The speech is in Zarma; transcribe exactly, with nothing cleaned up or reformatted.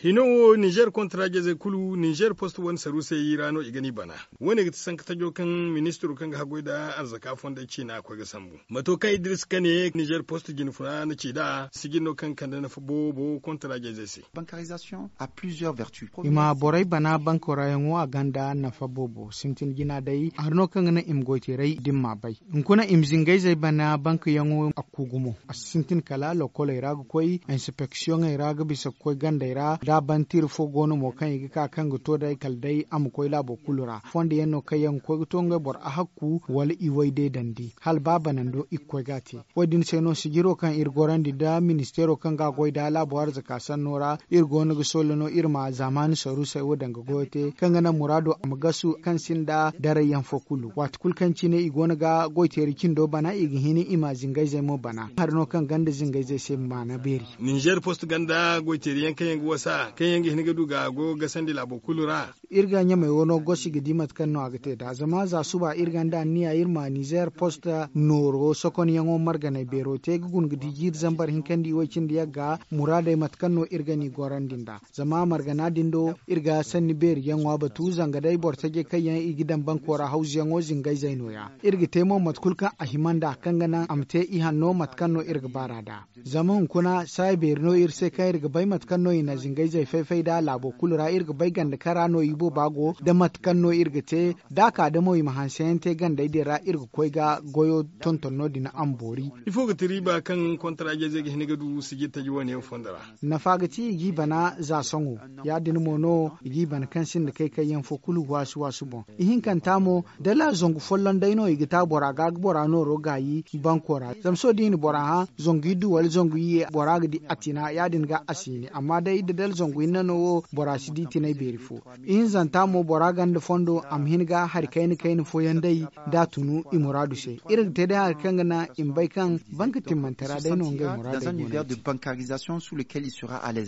Hino wo ninzeer kontaraaje-izey kulu ninzeer post wane saruusey ra no i ga ni bana. Wo- ne ga ti sanka tajo kaŋ ministiro kaŋ ga haggoy nda arzaka fondey ciina a koy ga sambu mato kaŋ idris ka ne ninzeer post jinfuna na ci nd'a sijin no kaŋ ga kande nafa boobo kontaraaje-izey se. I ma borey bana banko ra yaŋo a gonda nafa boobo sintin jina day hari no kaŋ ga naŋ i ma goy teeray da ni m'a bay. Hunkuna i ma zingayzey bana bankayaŋo a kuugu mo a si sintin kala lokoley ra ga koy insipeksiyoŋey ra ga bisa ga koy gandey ra da a ban tira fo go no mo kaŋ i ga ka kaŋ ga to day kala day a ma koy laabo kulu ra fondo yaŋ no kaŋ yaŋ ga koy ga to ngey boro ahakku wala i way day dandi hala ba banando i ga koy ga a te. Wo- din se no sijiro kaŋ iri gorandi nda ministeero kaŋ ga a goy nda laabo arzaka sanno ra iri go no ga solla no iri ma zaamaani saruusey wo danga goyo te kaŋ ga naŋ muraado a ma gasu kaŋ sinda daray yaŋ fo kulu waati kulu kaŋ cine i go no ga goy teeri cindo bana i ga hin i ma zingayzey mo bana hari no kaŋ ganda zingayzey se maana beeri. Ninzeer post ganda goy teeri yaŋ kaŋ yaŋ ga wasa kaŋ yaŋ ga hin ga du ga a go ga gasandi laabo kulu ra. Iri ga ɲamey wo no gosi ga di mate kaŋ no a ga te nd'a zama za suba iri gonda anniya iri ma nizeer post nooro sokonyaŋo marganay beero te ga guna ga di jiiri zambar hinka nda iway cindi yagga muraadey mate kaŋ no iri ga ni gorandi nd'a. Zama margana din do iri ga sanni beeri yaŋo a batu zanga day boro tajey kaŋ yaŋ i ga daŋ banko ra hawzuyaŋo zingayzey no- ya iri ga te mo mate kulu kaŋ a hima nd'a kaŋ ga naŋ a ma te ihanno mate kaŋ no iri ga baar'a nd'a. Zama hunkuna saaya beeri no iri se kaŋ iri ga bay mate kaŋ no i na zingayzey fay-fay nd'a laabo kulu ra iri ga bay ganda kara no ibooba go nda mate kaŋ no iri ga te da a ka da mo i ma hanseyaŋ te gandey din ra iri ga koy ga goyo tonton no- din a ma boori. Ifo ga ti riiba kaŋ kontaraaje-izey ga hin ga du sijir taji wane yaŋ fondo ra? Nafa ga ti i g'i bana za sohõ ya- din mo no i g'i bana kaŋ sinda kay-kayyaŋ fo kulu waasu-waasu boŋ. Ihinkanta mo dala zangu folloŋ day no i ga ta bora ga ga bora nooro gaayi banko ra zama sohõ da i na bora hã zangu iddu wala zangu iyye bora ga di a tina ya- din ga a si hini amma day da dala zangu hinne no wo bora si di tinay beeri fo. Ihinzanta mo bora gonda fondo a ma hin ga hari kayna-kayna fooyaŋ day da a tunu i muraadu se. Iri ga te day hari kaŋ ga naŋ i ma bay kaŋ banka timmantara day no ngey muraadey go no ga ti.